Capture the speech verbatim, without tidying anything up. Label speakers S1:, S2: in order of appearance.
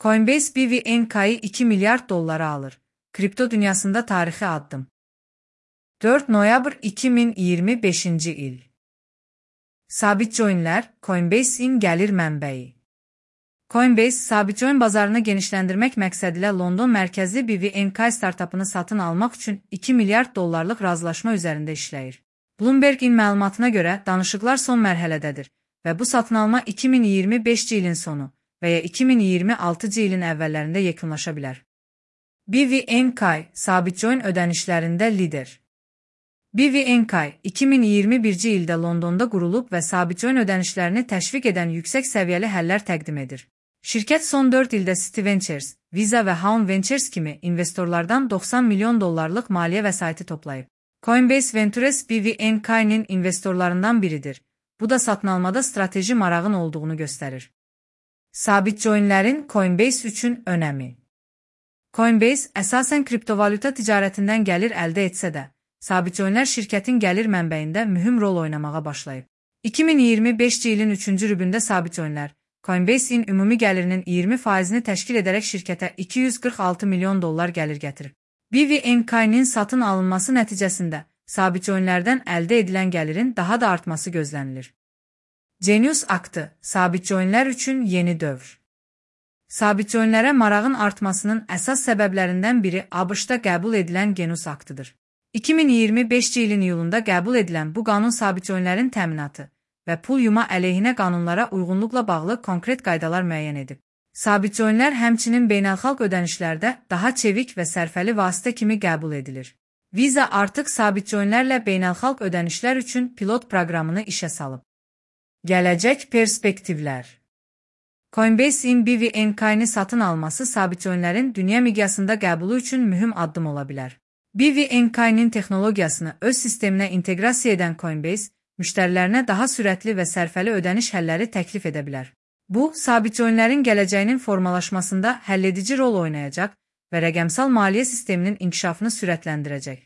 S1: Coinbase B V N K'yı iki milyar dollara alır. Kripto dünyasında tarixi addım. dörd noyabr iki min iyirmi beşinci il. Sabit coinlər, Coinbase-in gəlir mənbəyi. Coinbase, sabit coin bazarını genişləndirmək məqsədilə London mərkəzli B V N K startapını satın almaq üçün iki milyard dollarlıq razılaşma üzərində işləyir. Bloomberg-in məlumatına görə danışıqlar son mərhələdədir və bu satın alma iki min iyirmi beşinci ilin sonu və ya iki min iyirmi altıncı ilin əvvəllərində yekunlaşa bilər. B V N K, sabit coin ödənişlərində lider. B V N K, iki min iyirmi birinci ildə Londonda qurulub və sabit coin ödənişlərini təşviq edən yüksək səviyyəli həllər təqdim edir. Şirkət son dörd ildə City Ventures, Visa və Haun Ventures kimi investorlardan doxsan milyon dollarlıq maliyyə vəsaiti toplayıb. Coinbase Ventures B V N K'nin investorlarından biridir. Bu da satın almada strateji marağın olduğunu göstərir. Sabit coinlərin Coinbase üçün önəmi. Coinbase əsasən kriptovalyuta ticarətindən gəlir əldə etsə də, sabit coinlər şirkətin gəlir mənbəyində mühüm rol oynamağa başlayıb. iki min iyirmi beşinci ilin üçüncü rübündə sabit coinlər, Coinbase-in ümumi gəlirinin iyirmi faizini təşkil edərək şirkətə iki yüz qırx altı milyon dollar gəlir gətirib. B V N K'nin satın alınması nəticəsində sabit coinlərdən əldə edilən gəlirin daha da artması gözlənilir. Genius aktı, sabit coinlər üçün yeni dövr. Sabit coinlərə marağın artmasının əsas səbəblərindən biri ABŞ-da qəbul edilən Genius aktıdır. iki min iyirmi beşinci ilin iyulunda qəbul edilən bu qanun sabit coinlərin təminatı və pul yuma əleyhinə qanunlara uyğunluqla bağlı konkret qaydalar müəyyən edib. Sabit coinlər həmçinin beynəlxalq ödənişlərdə daha çevik və sərfəli vasitə kimi qəbul edilir. Visa artıq sabit coinlərlə beynəlxalq ödənişlər üçün pilot proqramını işə salıb. Gələcək perspektivlər. Coinbase-in B V N K'ni satın alması sabit coinlərin dünya miqyasında qəbulu üçün mühüm addım ola bilər. B V N K'nin texnologiyasını öz sisteminə inteqrasiya edən Coinbase, müştərilərinə daha sürətli və sərfəli ödəniş həlləri təklif edə bilər. Bu, sabit coinlərin gələcəyinin formalaşmasında həlledici rol oynayacaq və rəqəmsal maliyyə sisteminin inkişafını sürətləndirəcək.